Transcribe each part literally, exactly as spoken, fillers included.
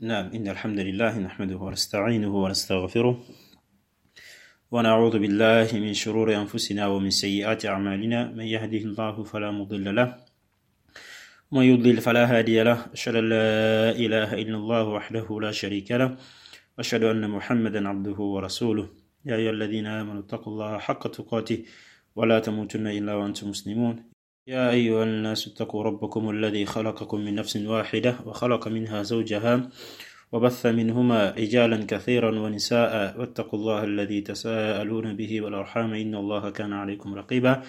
نعم، إن الحمد لله نحمده ونستعينه ونستغفره، ونعوذ بالله من شرور أنفسنا ومن سيئات أعمالنا. من يهده الله فلا مضل له، ومن يضلل فلا هادي له. أشهد أن لا إله إلا الله وحده لا شريك له، وأشهد أن محمدا عبده ورسوله. يا أيها الذين آمنوا اتقوا الله حق تقاته ولا تموتن إلا وأنتم مسلمون. يا أيها الناس اتقوا ربكم الذي خلقكم من نفس واحدة وخلق منها زوجها وبث منهما رجالا كثيرا ونساء، واتقوا الله الذي تساءلون به والأرحام، إن الله كان عليكم رقيبا.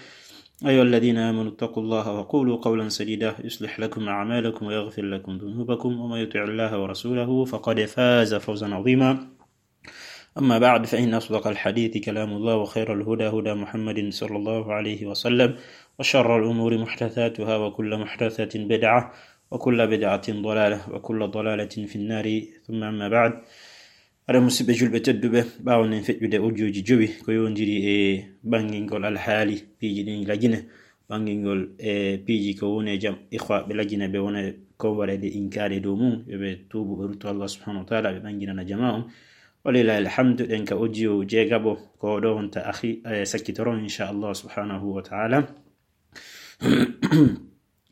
أيها الذين آمنوا اتقوا الله وقولوا قولا سديدا، يصلح لكم أعمالكم ويغفر لكم ذنوبكم، ومن يطع الله ورسوله فقد فاز فوزا عظيما. أما بعد، فإن أصدق الحديث كلام الله، وخير الهدى هدى محمد صلى الله عليه وسلم، وشر الأمور محدثاتها، وكل محدثة بدعة، وكل بدعة ضلالة، وكل ضلالة في النار. ثم أما بعد. Aɗa, musidɓe julɓe tedduɓe, ɓaawo nden feƴƴude audio ji jowi ko yowndiri e ɓanngingol alhaali piiji ɗin Lagine, ɓanngingol e piiji ko woni e jam, ikhwa ɓe Lagine ɓe wona ko waɗa ɗe inkaade dow mum, yo ɓe tuubu, ɓe rutto Allah subhanahu wa ta'ala, ɓe ɓannginana jamaa on. Walillahi alhamdu, ɗen ka audio jeegaɓo, ko ɗo wonta akhi, eh, sakkitoron, insha Allah subhanahu wa ta'ala.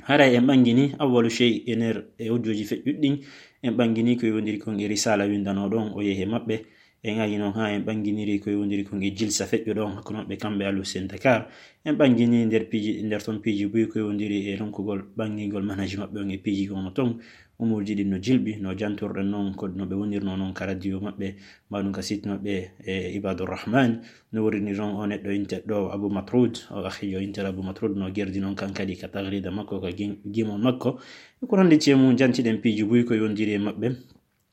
Haray en ɓanngini awwalu shay e nder e audio ji feƴƴuɗi ɗin, en ɓanngini ko yowndiri kon e risala winndanoɗo on, o yehi e maɓɓe. En ari non haa en ɓannginiri ko yowndiri kon e jilsa feƴƴuɗo on hakkunde maɓɓe kamɓe Ahlu Hussein Dakar. En ɓanngini nder piiji, nder ton piiji buy ko yowndiri e ronkugol ɓanngingol manhaji maɓɓe on e piiji ko woni ton. Umuurji ɗin no jilɓi, no jantorɗen non, ko no ɓe wonirno non ka radio maɓɓe, mbaɗun ka site maɓɓe, e Ibadur Rahman. No woniri non o neɗɗo inteɗo Abu Matrud, o akhijo inteɗo Abu Matrud, no gerdi non kan kadi ka tagrida makko, ka gim-, gimol makko. E ko nanndi e mum, jantiɗen piiji buy ko yowndiri e maɓɓe.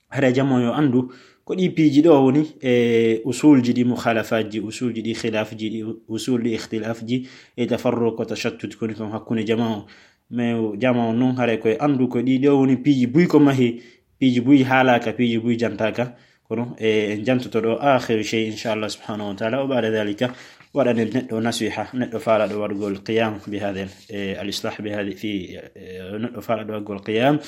Haray jamaa on yo anndu ko ɗi piiji ɗo woni e usulji ɗi mukhalafatji, usulji ɗi khilafji, ɗi usul ɗi ikhtilafji, e tafarruq ko tashattut koni kon hakkunde jamaa on. Mais jamaa on non haray koye anndu ko ɗi ɗo woni piiji buy ko mahi, piiji buy haalaaka, piiji buy jantaaka. Kono, e, en jantoto ɗo akhiru shay, insha Allah subhanahu wa ta'ala. O ba'da dhalika, waɗanen neɗɗo nasiha, neɗɗo faalaɗo waɗugol qiyam bi hadha, e, al islah bi hadha fi, e, neɗɗo faalaɗo waɗugol qiyam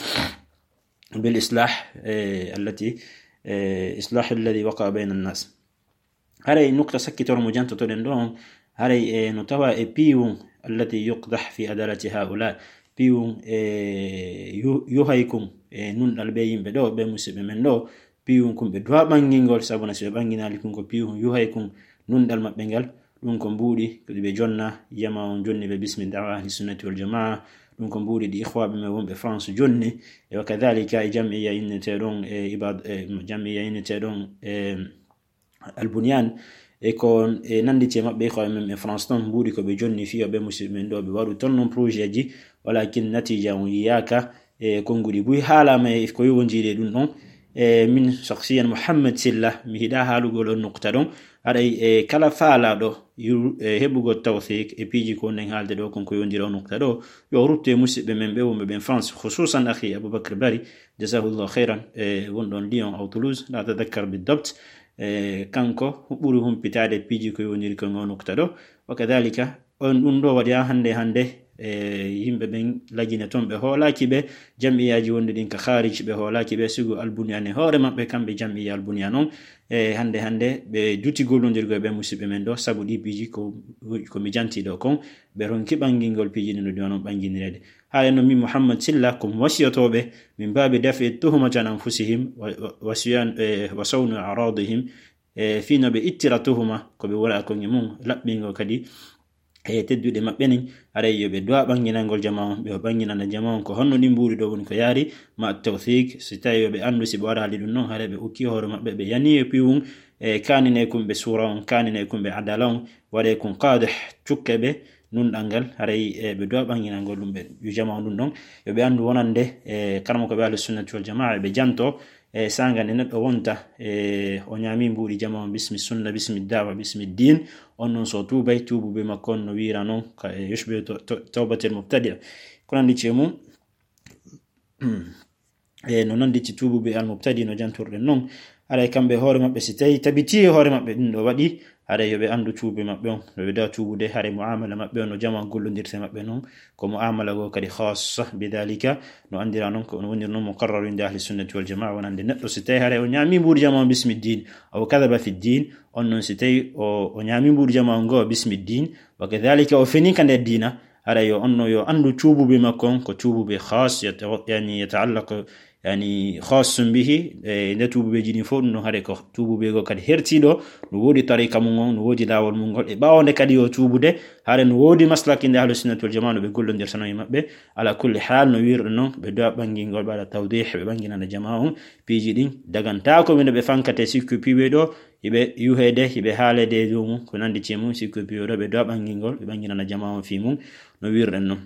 bil islah, e, allati, e, islah alladhi waqa bayna an-nas. Haray nukta sakkitoro mo jantotoɗen ɗo on, haray, e, no tawa e piiwun allati yuqdah fi adalati haula, piiwun, e, yu-, yuhay kun, e, nunɗal ɓe yimɓe ɗo, ɓe musidɓe men ɗo, piiwun kun ɓe duwa ɓanngingol, sabuna si ɓe ɓannginaali kun ko piiwun yuhay kun nunɗal maɓɓe ngal, ɗum ko mbuuɗi ko ɓe jonna, jamaa on jonni ɓe bismi da'wa ahli sunnati wal jamaa, ɗum ko mbuuɗi ɗi ikhwaaɓe men wonɓe France jonni, e wa kadhalika e jam'iyya inneteeɗon e Ibad, e jam'iyya inneteeɗon e Al Bunyan, e ko e nannditi e maɓɓe, ko e men e France ton, mbuuɗi ko ɓe jonni fiyo ɓe musidɓe men ɗo, ɓe waɗu ton non projet ji, walakin natija on yiyaaka, e konnguɗi buy haalaama e ko yowondiri e ɗum ɗon. E min shakhsiyan Mouhamed Sylla, mi hiɗa haalugol on nukta ɗon, haray e kala faalaaɗo yu-, e heɓugol tawfiq e piiji ko nden haalde ɗo kon ko yowondiri on nukta ɗo, yo ruttu e musidɓe men ɓe wonɓe ɓen France, khususan akhi Aboubacar Bari, jazahullahu khairan, e wonɗon Lyon aw Toulouse, la tadakkar bi dabt, e, kanko ɓuri humpitaade piiji ko yowondiri kon o nukta ɗo. Wa kadhalika, on ɗum ɗo waɗi haa hannde, hannde, e, yimɓe ɓen Lagine ton ɓe hoolaaki ɓe, jam'iyaaji wonɗi ɗin ka kharij ɓe hoolaaki ɓe, sigo Al Bunyan e hoore maɓɓe, kamɓe jam'iyya Al Bunyan on, e, hannde, hannde ɓe duti gollondirgo e ɓe musidɓe men ɗo, sabu ɗi piiji ko, ko mi janti ɗo kon, ɓe ronki ɓanngingol piiji ɗin no ɗi wano ɓannginireede. Haray no min Mouhamed Sylla, ko mi wasiyotooɓe, min baabi daf'i tuhmati an anfusihim, wa, wa, wa siyan, e, wa sawnu a'radihim, e, fii no ɓe ittira tuhuma, ko ɓe wona kon e mum, laɓɓingo kadi, e, tedduɗe maɓɓe nin, haray yo ɓe duwa ɓannginangol jamaa on, ɓe ɓannginana jamaa on, ko honno ɗin mbuuɗi ɗo woni ko yaari, ma tawfiq, si tawi yo ɓe anndu, si ɓe waɗaali ɗum non, haray ɓe ukki hoore maɓɓe, ɓe yani e piiwun, e, kaanine kumɓe suura on, kaanine kumɓe adala on, waɗe kun qaadih, cukke ɓe, nunɗal ngal, haray, e, ɓe duwa ɓannginangol ɗum ɓe, yo jamaa on ɗum ɗon, yo ɓe anndu wonande, e, karamoko ɓe Ahlu Sunnati wal Jamaa, ɓe janto, e, saanga nde neɗɗo wonta, e, o ñaami mbuuɗi jamaa on, bismi sunna, bismi da'wa, bismi diin, on non so tuubay, tuubu be makko on no wiira non, ka, e, yushbihu to-, to-, tawbatel mubtadi'. Ko nanndi e mum, e, no nannditi tuubu be al mubtadi' no jantorɗen non, Haray kamɓe hoore maɓɓe, si tawi tabitii e hoore maɓɓe ɗum ɗo waɗi, haray yo ɓe anndu tuubi maɓɓe on, yo ɓe dawa tuubude, haray mu'amala maɓɓe on no jama on gollondirta e maɓɓe non, ko mu'amala goo kadi khassa, bidhalika, no anndira non, ko no woniri non muqarraru inde ahli sunnati wal jamaa, wonande neɗɗo si tawi haray o ñaami mbuuɗu jama on bismi diin, aw kadhaba fi diin, on non si tawi o, o ñaami mbuuɗu jama on goo bismi diin, wa kadhalika o feni ka nder diina, haray yo on no yo anndu tuubuɓe makko on, ko tuubuɓe khass, yata-, yani yata'allaqu yani khassun bihi, e nde tuubuɓeeji ɗin fof, ɗum ɗon haray ko tuubuɓe goo kadi hertiiɗo, no woodi tariqa mum on, no woodi laawol mum ngol, e ɓaawo nde kadi yo tuubude, haray no woodi maslak inde ahlu sunnati wal jamaa no ɓe gollondirtano e maɓɓe. Ala kulli haal, no wiirɗo non, ɓe duwa ɓangingol, ɓe waɗa tawdih, ɓe ɓanginana jamaa on piiji ɗin, dagantaako wino ɓe fankate sikku piiwe ɗo, hiɓe yuhede, hiɓe haalede e dow mum, ko nandi e mum, sikku piiwe ɗo, ɓe duwa ɓangingol, ɓe ɓanginana jamaa on fii mum, no wiirɗen non.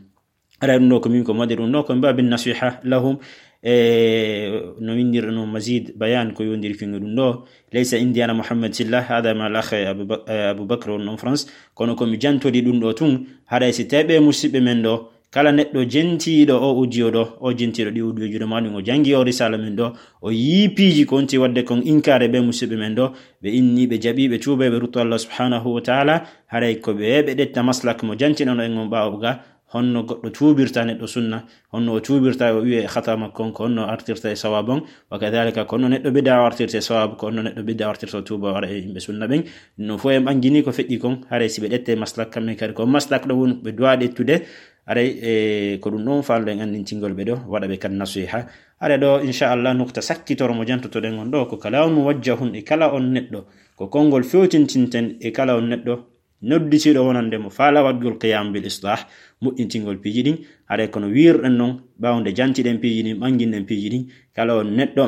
Haray ɗum ɗo ko min ko mi waɗi ɗum ɗo ko min babin nasiha lahum, e no winndiri non mazid bayan ko yondiri kingo ɗum ɗo. Laysa indi ana Muhammad Silla, hada ma al akh Abu Bak-, eh, Abu Bakr on non France, kono ko mi jantodi ɗum ɗo tun, haray si tawi ɓe musiɓɓe men ɗo, kala neɗɗo jentiiɗo o audio ɗo, o jentiiɗo ɗi audio ji ɗo, ma ɗum o jangi o risala men ɗo, o yii piiji ko wonti waɗde kon inkaare ɓe musiɓɓe men ɗo, ɓe inni, ɓe jaɓi, ɓe tuuba, ɓe rutto Allah subhanahu wa ta'ala, haray ko ɓe, ɓe ɗetta maslak mo jantinano en on ɓaawo ga, honno goɗɗo tuubirta neɗɗo sunna, honno o tuubirta o wi'e e khata makko on, ko honno o artirta e sawaab on, wa kadhalika ko honno neɗɗo bid'a o artirta e sawaab, ko honno neɗɗo bid'a o artirta o tuuba o ara e yimɓe sunna ɓen. No fof en ɓangini ko feƴƴi kon, haray si ɓe ɗette maslak kamɓe kadi, ko maslak ɗo woni ɓe duwa ɗettude, haray e ko ɗum ɗon faalɗen anndintingol ɓe ɗo, waɗa ɓe kadi nasiha. Haray ɗo, inchallah, nukta sakkitoro mo jantotoɗen on ɗo, ko kalamun muwajjahun e kala on neɗɗo, ko konngol fewtintinten e kala on neɗɗo, nodditiiɗo wonande mo faala waɗgol qiyam bil islah, moƴƴintingol piiji ɗin, haray kono wiirɗen non, ɓaawo nde jantiɗen piiji ɗin, ɓanginɗen piiji ɗin, kala on neɗɗo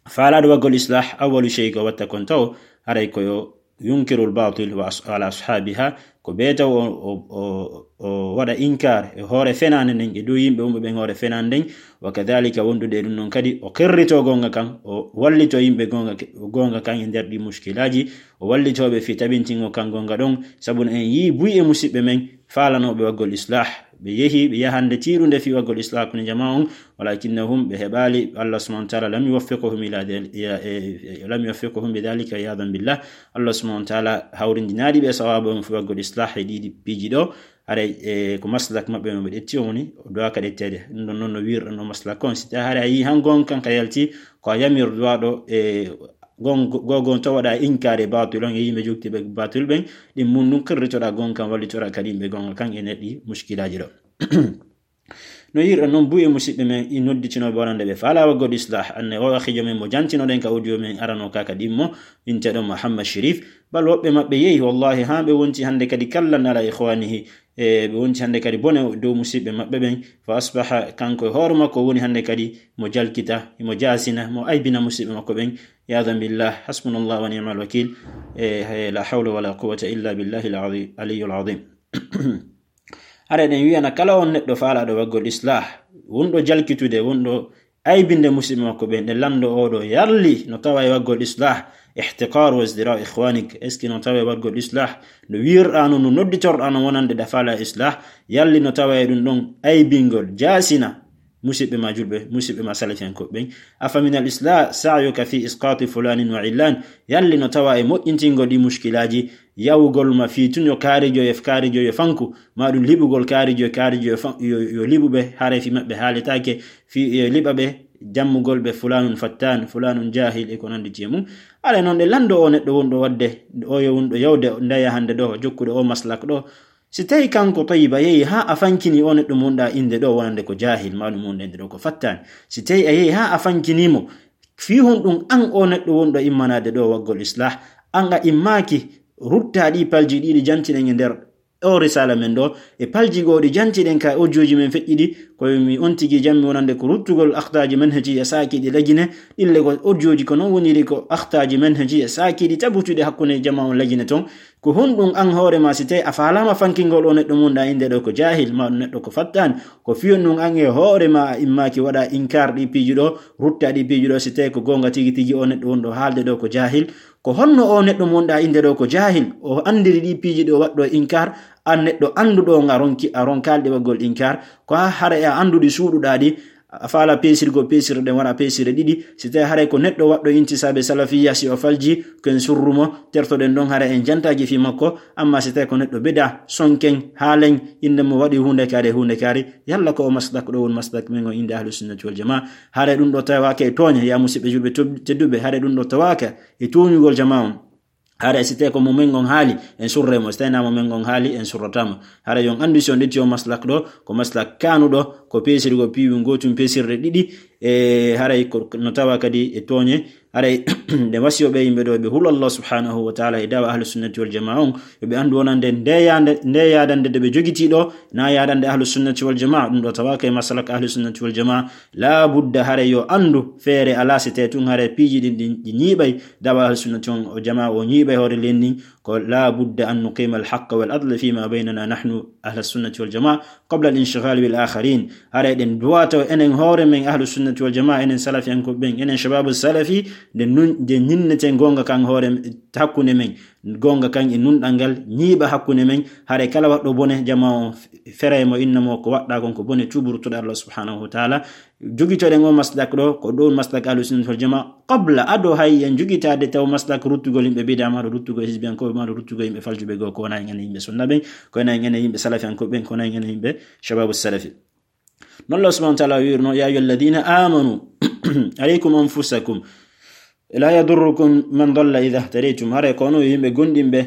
faalaɗo waɗgol islah, awwalu shay ko watta kon taw, haray ko yo yunkirul batil wa as-, ala ashabiha, ko ɓe taw o, o, o, o waɗa inkar e hoore fenaande nden, e dow yimɓe wonɓe ɓen hoore fenaande nden, wa kadhalika wondude e ɗum non kadi, o qirrito goonga kan, o wallito yimɓe goonga ke-, goonga kan e nder ɗi mushkilaaji, o wallitooɓe fii tabintingol kan goonga ɗon, sabu no en yii buy e musiɓɓe men faalanooɓe waɗgol islah, ɓe yehi, ɓe yahande tiiɗunde fii waɗgol islah hakkunde jamaa on, walakinnahum, ɓe heɓaali, Allah subhanahu wa ta'ala lam yuwaffiquhum ila dhal-, ila, eh, eh, lam yuwaffiquhum bi dhalika, iyadan billah. Allah subhanahu wa ta'ala hawrindinaali ɓe sawaaba on fii waɗgol islah e ɗiɗi piiji ɗo, haray, eh, ko maslak maɓɓe mo ɓe ɗetti on woni, o duwaaka ɗetteede. Ɗum ɗon non no wiirɗen no maslak on. Si tawi haray a yii han goonga kan ka yalti, ko a yamir duwaaɗo, eh, gon-, go-, gon to waɗa inkaare batil on e yimɓe jogtiiɓe batil ɓen, ɗin mun ɗum qirritoɗaa goonga kan, wallitoɗaa kadi yimɓe goonga kan e nder ɗi mushkilaaji ɗo. No yiirɗen non buy e musiɓɓe men i nodditinooɓe wonande ɓe faala waɗgol islah, anne o akhijo men mo jantinoɗen ka audio men arano ka kadi mo, inteɗo Muhammad Sharif, bal woɓɓe maɓɓe yehi, wallahi, haa ɓe wonti hannde kadi kallan ala ikhwanihi, e ɓe wonti hannde kadi bone dow musiɓɓe maɓɓe ɓen, fa asbaha, kanko e hoore makko woni hannde kadi mo jalkita, mo jaasina, mo aybina musiɓɓe makko ɓen, iyadan billah, hasbunallah wa ni'mal wakil, e, e, la hawla wala quwwata illa billahi al-azim, aliyyul azim. Haray ɗen wi'ana kala on neɗɗo faalaaɗo waɗgol islah, wonɗo jalkitude, wonɗo aybinde musiɓɓe makko ɓen, ɗe lanndo oo ɗo yarli no tawa e waɗgol islah, ihtiqar wa izdira ikhwanik, est-ce que no tawa e waɗgol islah, no wiirɗaa non, no nodditorɗaa non wonande ɗa faala islah, yarli no tawa e ɗum ɗon aybingol, jaasina musiɓɓe ma julɓe, musiɓɓe ma salafiyankooɓe ɓen. Afa min al islah sa'yuka fi isqati fulanin wa illan, yarli no tawa e moƴƴintingol ɗi mushkilaaji, yawugol ma fii tun yo kaarijo e kaarijo yo fanku, ma ɗum liɓugol kaarijo e kaarijo yo fa-, yo, yo liɓu ɓe, haray fii maɓɓe haaletaake, fii yo liɓa ɓe, jammugol ɓe fulanun fattan, fulanun jahil e ko nanndi e mum. Haray non ɗe lanndo oo neɗɗo wonɗo waɗde, oo yo wonɗo yawde ndaya hannde ɗo, jokkuɗo oo maslak ɗo. Si tawi kanko Tayyiba yehi haa a fankini oo neɗɗo mo wonɗaa innde ɗo wonande ko jahil, ma ɗum wonɗo innde ɗo ko fattan. Si tawi a yehi haa a fankini mo, fii honɗum an oo neɗɗo wonɗo immanaade ɗo waɗgol islah, an a immaaki ruttaa ɗii palji ɗiɗi jantiɗen e nder oo risala men ɗo, e palji goo ɗi jantiɗen ka audio ji men feƴƴi ɗi, ko mi on tigi jammi wonande ko ruttugol akhtaaji manhajiya saakiiɗi lagine, ɗille ko audio ji ko non woniri ko akhtaaji manhajiya saakiiɗi tabutuɗi hakkunde jamaa on lagine ton. Ko honɗum an hoore ma si tawi a faalaama fankingol oo neɗɗo mo wonɗaa innde ɗo ko jahil, ma ɗum neɗɗo ko fattan, ko fii honɗum an e hoore ma a immaaki waɗa inkar ɗii piiji ɗo, ruttaa ɗii piiji ɗo, si tawi ko goonga tigi tigi oo neɗɗo wonɗo haalde ɗo ko jahil, ko honno oo neɗɗo mo wonɗaa innde ɗo ko jahil, o anndiri ɗii piiji ɗo waɗɗo inkar, an neɗɗo annduɗo nga ronki, a ronkaali ɗi waɗgol inkar, ko haa haray a annduɗi suuɗuɗaa ɗi, a faala peesirgo peesirɗe ɗen, wona peesirɗe ɗiɗi. Si tawi haray ko neɗɗo waɗɗo intisaabe salafiyya, si o falji, ko en surru mo, tertoɗen ɗon haray en jantaaji fii makko. Amma si tawi ko neɗɗo bida, sonken, haalen, innde mo waɗi huunde kaari, huunde kaari, yalla ko o maslak ɗo woni maslak men o innde Ahlu Sunnati wal Jamaa. Haray ɗum ɗo tawaaka e tooñe, yaa musiɓɓe julɓe to-, tedduɓe, haray ɗum ɗo tawaaka e tooñugol jamaa on. Haray si tawi ko mo men on haali, en surre mo. Si tawi naa mo men on haali, en surrata mo. Haray yo on anndu si on ƴetti o maslak ɗo, ko maslak kaanuɗo, ko peesirgo piiwi ngootum peesirɗe ɗiɗi, e haray ko no tawa kadi e tooñe. Haray nde wasiyo ɓe yimɓe ɗo, ɓe hulu Allah subhanahu wa ta'ala e da'wa Ahlu Sunnati wal Jamaa on, yo ɓe anndu wonande nde yaade, nde yaadande nde ɓe jogitii ɗo, naa yaadande Ahlu Sunnati wal Jamaa, ɗum ɗo tawaaka e maslak Ahlu Sunnati wal Jamaa. Laa budda haray yo anndu feere alaa si tawi tun haray piiji ɗin ɗi, ɗi ñiiɓay da'wa Ahlu Sunnati on, o Jamaa o ñiiɓay hoore len ndin, ko laa budda an nuqima al haqqa wal adla fima baynana nahnu Ahlu Sunnati wal Jamaa qabla al inshghal bil akharin. Haray ɗen duwato enen hoore men Ahlu Sunnati wal Jamaa, enen salafiyanko ɓen, enen shababu salafi, nde nun, nde ñinneten goonga kan hoore, hakkunde men, goonga kan e nunɗal ngal, ñiiɓa hakkunde men. Haray kala waɗɗo bone, jamaa on f-, feray mo, inna mo ko waɗɗa kon ko bone, tuubu ruttuɗo Allah subhanahu wa ta'ala. Jogitoɗen o maslak ɗo, ko ɗo maslak Ahlu Sunnati wal Jamaa, qabla, ado hay en jogitaade taw maslak ruttugol yimɓe bida, maa ɗo ruttugol hizbiyankooɓe, maa ɗo ruttugol yimɓe faljuɓe goo, ko wona en enen yimɓe sunna ɓen, ko wona en enen yimɓe salafiyanko ɓen, ko wona en enen yimɓe shababu salafi. Non Allah subhanahu wa ta'ala wi'irno, "Ya ayyuhalladhina amanu, alaykum anfusakum, la yadurrukum man dalla idha ihtadaytum." Haray ko onon yimɓe gomɗinɓe,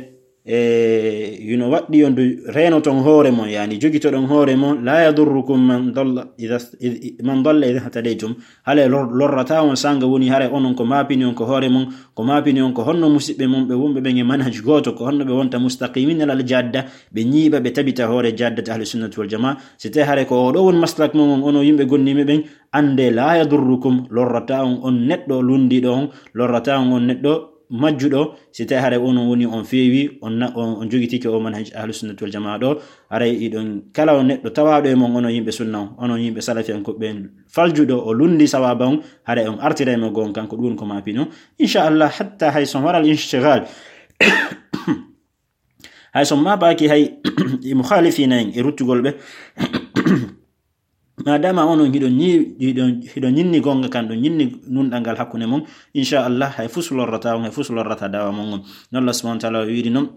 e hino waɗɗi on du reenoton hoore mon, yani jogitoɗon hoore mon, "La yadurrukum man dalla idha, id-, man dalla idha ihtadaytum." Haray lor-, lorrata on sanga woni haray onon ko maapini on ko hoore mon, ko maapini on ko honno musiɓɓe mon ɓe wonɓe ɓen e manhaj gooto, ko honno ɓe wonta mustaqimina alal jadda, ɓe ñiiɓa, ɓe tabita hoore jaddata Ahlu Sunnati wal Jamaa. Si tawi haray ko o ɗo woni maslak mon on, onon yimɓe gomɗinɓe ɓen, annde, "La yadurrukum", lorrata on, on neɗɗo lunndiiɗo on, lorrata on, on neɗɗo majjuɗo, si tawi haray onon woni on feewi, on na-, on, on jogitike o manhaj Ahlu Sunnati wal Jamaa ɗo. Haray iɗon kala on neɗɗo tawaaɗo e mon, onon yimɓe sunna on, onon yimɓe salafiyankoɓe ɓen, faljuɗo o lunndi sawaaba on, haray on artiray mo goonga kanko, ɗum woni ko maapino. Inchallah, hatta hay so waral inshtigal, hay so maapaaki hay e mukhalifiina en e ruttugol ɓe, madama onon hiɗon ñi-, hiɗon, hiɗon ñinni goonga kan, ɗon ñinni nunɗal ngal hakkunde mon, inchallah, hay fus lorrata on, hay fus lorrata da'wa mon on. Non Allah subhanahu wa ta'ala o wiiri non,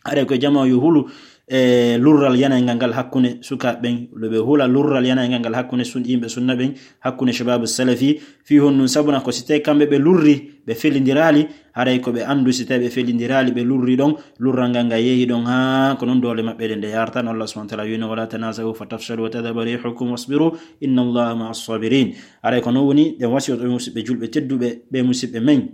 haray ko jamaa yo hulu, e, lurral yanayngal ngal hakkunde sukaaɓe ɓen, yo ɓe hula lurral yanayngal ngal hakkunde sun-, yimɓe sunna ɓen, hakkunde shababu salafi, fii honɗun? Sabuna ko si tawi kamɓe ɓe lurri, ɓe felindiraali, haray ko ɓe anndu, si tawi ɓe felindiraali, ɓe lurri ɗon, lurral ngal ngal yehi ɗon, haa ko non doole maɓɓe ɗen ɗe yarata. No Allah subhanahu wa ta'ala wi'no, "Wala tanaza'u fatafshalu wa tadhhaba rihukum wasbiru, inna Allaha ma'as sabirin." Haray ko non woni ɗen wasiyoto musiɓɓe julɓe tedduɓe, ɓe musiɓɓe men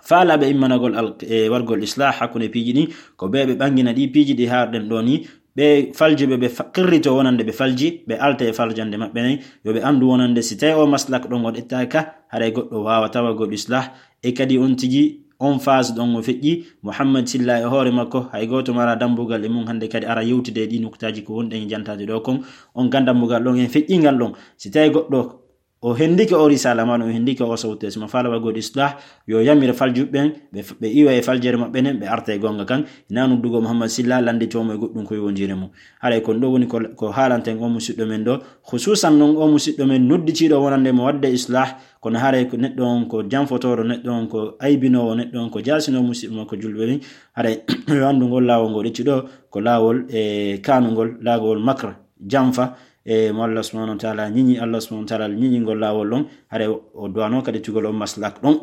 faalaaɓe immanagol al-, e wargol islah hakkunde piiji ɗin, ko ɓe ɓe ɓangina ɗi piiji ɗi haarɗen ɗo ni, ɓe faljuɓe ɓe fa-, qirrito wonande ɓe falji, ɓe alta e faljande maɓɓe nden, yo ɓe anndu wonande si tawi o maslak ɗon o ƴettaaka, haray goɗɗo waawata wargol islah. E kadi on tigi, on phase ɗon o feƴƴi, Muhammad Silla e hoore makko, hay gooto mara dambugal e mun hannde kadi ara yewtude e ɗi nuktaaji ko wonɗen e jantaade ɗo kon, on kan dambugal ɗon en feƴƴingal ɗon. Si tawi goɗɗo o hendike o risala, maa ɗum o hendike o sawte, si mo faala wargol islah, yo yamir faljuɓe ɓen, ɓe, ɓe iwa e faljere maɓɓe nden, ɓe arta e goonga kan. Hinaa noddugo Muhammad Silla, lannditoo mo e goɗɗum ko yowondiri mum. Haray kon ɗo woni ko, ko haalanten o musiɗɗo men ɗo. Khususan non o musiɗɗo men nodditiiɗo wonande mo waɗde islah, kono haray ko neɗɗo on ko janfotooɗo, neɗɗo on ko aybinoowo, neɗɗo on ko jaasinoowo musiɓɓe makko julɓe ɓen. Haray yo anndu ngol laawol ngol ƴetti ɗo, ko laawol e kaanungol, laawol makr, janfa, e mo Allah subhanahu wa ta'ala ñiñi, Allah subhanahu wa ta'ala ñiñi ngol laawol ɗon, haray o, o duwano kadi tugol on maslak ɗon.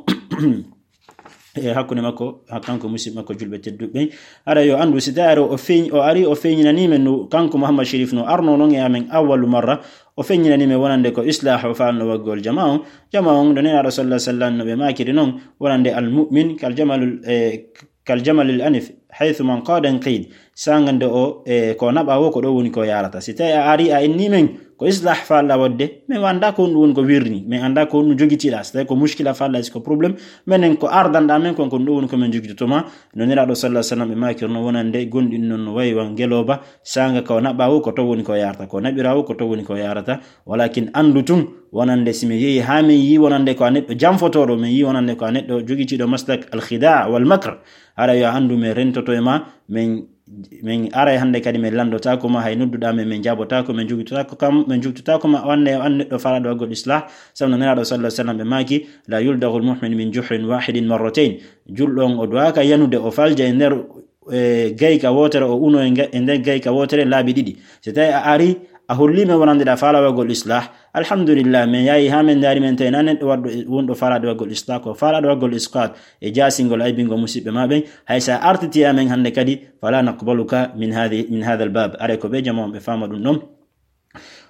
E hakkunde makko, ha-, kanko musiɓɓe makko julɓe tedduɓe ɓen. Haray yo anndu, si tawi o feeñ-, o ari, o feeñinani men no, kanko Muhammad Sharif no arno non e amen awwalu marra, o feeñinani men wonande ko islah o faalno wargol jamaa on. Jamaa on, ɗo Nelaaɗo sallallahu alaihi wasallam no ɓe maakiri non, wonande al mu'min kal jamalul, e, kal jamalil anif, haythu man qada qid. Sanga nde o, e, ko naɓa wo, ko ɗo woni ko yarata. Si tawi a ari a inni men ko islah faalɗa waɗde, men annda ko honɗum woni ko wirni, men annda ko honɗum jogitiɗa. Si tawi ko mushkila faalɗa, si ko problème, menen ko ardanɗa men kon, ko ɗum ɗo woni ko men jogitoto ma. No Nelaaɗo sallallahu alaihi wasallam ɓe maakirno wonande gonɗin non no wayi wan ngelooba, sanga ko naɓa wo, ko to woni ko yarata, ko naɓira wo, ko to woni ko yarata. Walakin anndu tun, wonande si mi yehi haa min yi wonande ko a neɗɗo janfotooɗo, min yi wonande ko a neɗɗo jogitiiɗo maslak al-khida' wal makr, hara yo a anndu min rentoto e ma, min Min aray hannde kadi min lanndotaako ma, hay nodduɗaa men, min jaabotaako, min jugtotaako kam, min jugtotaako ma, o annee, o annee ɗo faalaaɗo waggol islah, sabu no Nelaaɗo sallallahu alaihi wasallam ɓe maaki, "La yuldaghul mu'min min juhrin wahidin marratayn." Julɗo on o duwaaka yanude, o falja e nder, e, gayka wootere, o uno e nga-, e nder gayka wootere laabi ɗiɗi. So tawi a ari, a holli men wonande ɗa faalaaɗo waggol islah, alhamdulillah, min yahi haa min ndaari, min tawi na neɗɗo waɗɗo, wonɗo faalaaɗo waggol islah, ko faalaaɗo waggol isqat e jaasingol aybingol musiɓɓe ma ɓen. Hay so a artiti amen hannde kadi, fala naqbaluka min hadhi, min hadha al-bab. Aray ko ɓe jama on ɓe faama ɗum ɗon.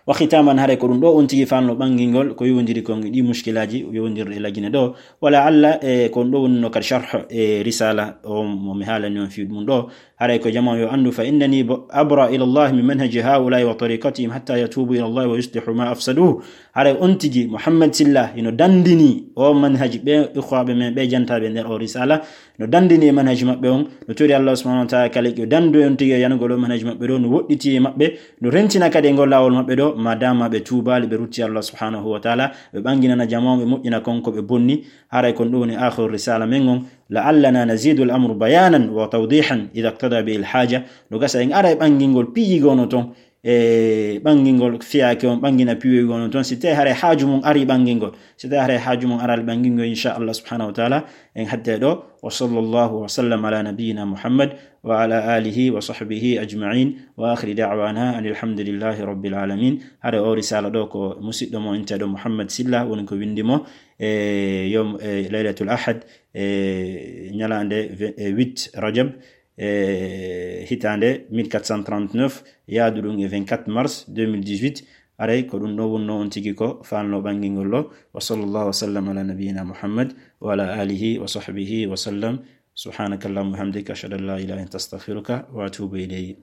Wa khitaman, haray ko ɗum ɗo on tigi fanno ɓangingol ko yowondiri kon e ɗi mushkilaaji yowondirɗe e Lagine ɗo. Wala alla e ko ɗum ɗo woni no kadi sharh e risala o mo mi haalani on fii ɗum ɗo. Haray ko jama on yo anndu, fa innani bo-, abra ila Allah min manhaji haula'i wa tariqatihim hatta yatubu ila Allah wa yuslihu ma afsaduhu. Haray on tigi Muhammad Silla hino dandini o manhaji ɓe ikhwaɓe men ɓe jantaaɓe nder o risala. No dandini e manhaji maɓɓe on, no tori Allah subhanahu wa ta'ala kala ko dando on tigi e yanugol o manhaji maɓɓe ɗo, no woɗɗiti e maɓɓe, no rentina kadi e ngol laawol maɓɓe ɗo, ma dama ɓe tuubaali, ɓe rutti Allah subhanahu wa ta'ala, ɓe ɓanginana jama on, ɓe moƴƴina kon ko ɓe bonni. Haray kon ɗum woni akhiru risala men on, la'allana nazidu al-amru bayanan wa tawdihan idha iqtada bihi al-haja. No gasa en ara e ɓangingol piiji gono ton, e ɓangingol fiyaake on, ɓangina piiwoygol on toon, si tawi haray haaju mum ari ɓangingol. Si tawi haray haaju mum araali ɓangingol, inchallah subhanahu wa taala, en hatte ɗo. Wa sallallahu wa sallam ala nabiyyina Muhammad wa ala alihi wa sahbihi ajma'in. Wa akhiri da'wana anil hamdulillahi rabbil alamin. Haray o risala ɗo ko musiɗɗo mo inteɗo Muhammad Silla woni ko windi mo, e yom, e laylatul ahad, e ñalaande ve-, e huit Rajab, e hitaande mille quatre cent trente-neuf, yaadu ɗum e vingt-quatre mars deux mille dix-huit. Aray ko ɗum ɗo wonno on tigi ko fanno ɓangingol ɗo. Wa sallallahu wa sallam ala nabiyyina Muhammad wa ala alihi wa sahbihi wa sallam. Subhanaka Allahumma wa bihamdika, ashhadu an la ilaha illa anta, astaghfiruka wa atubu ilayk.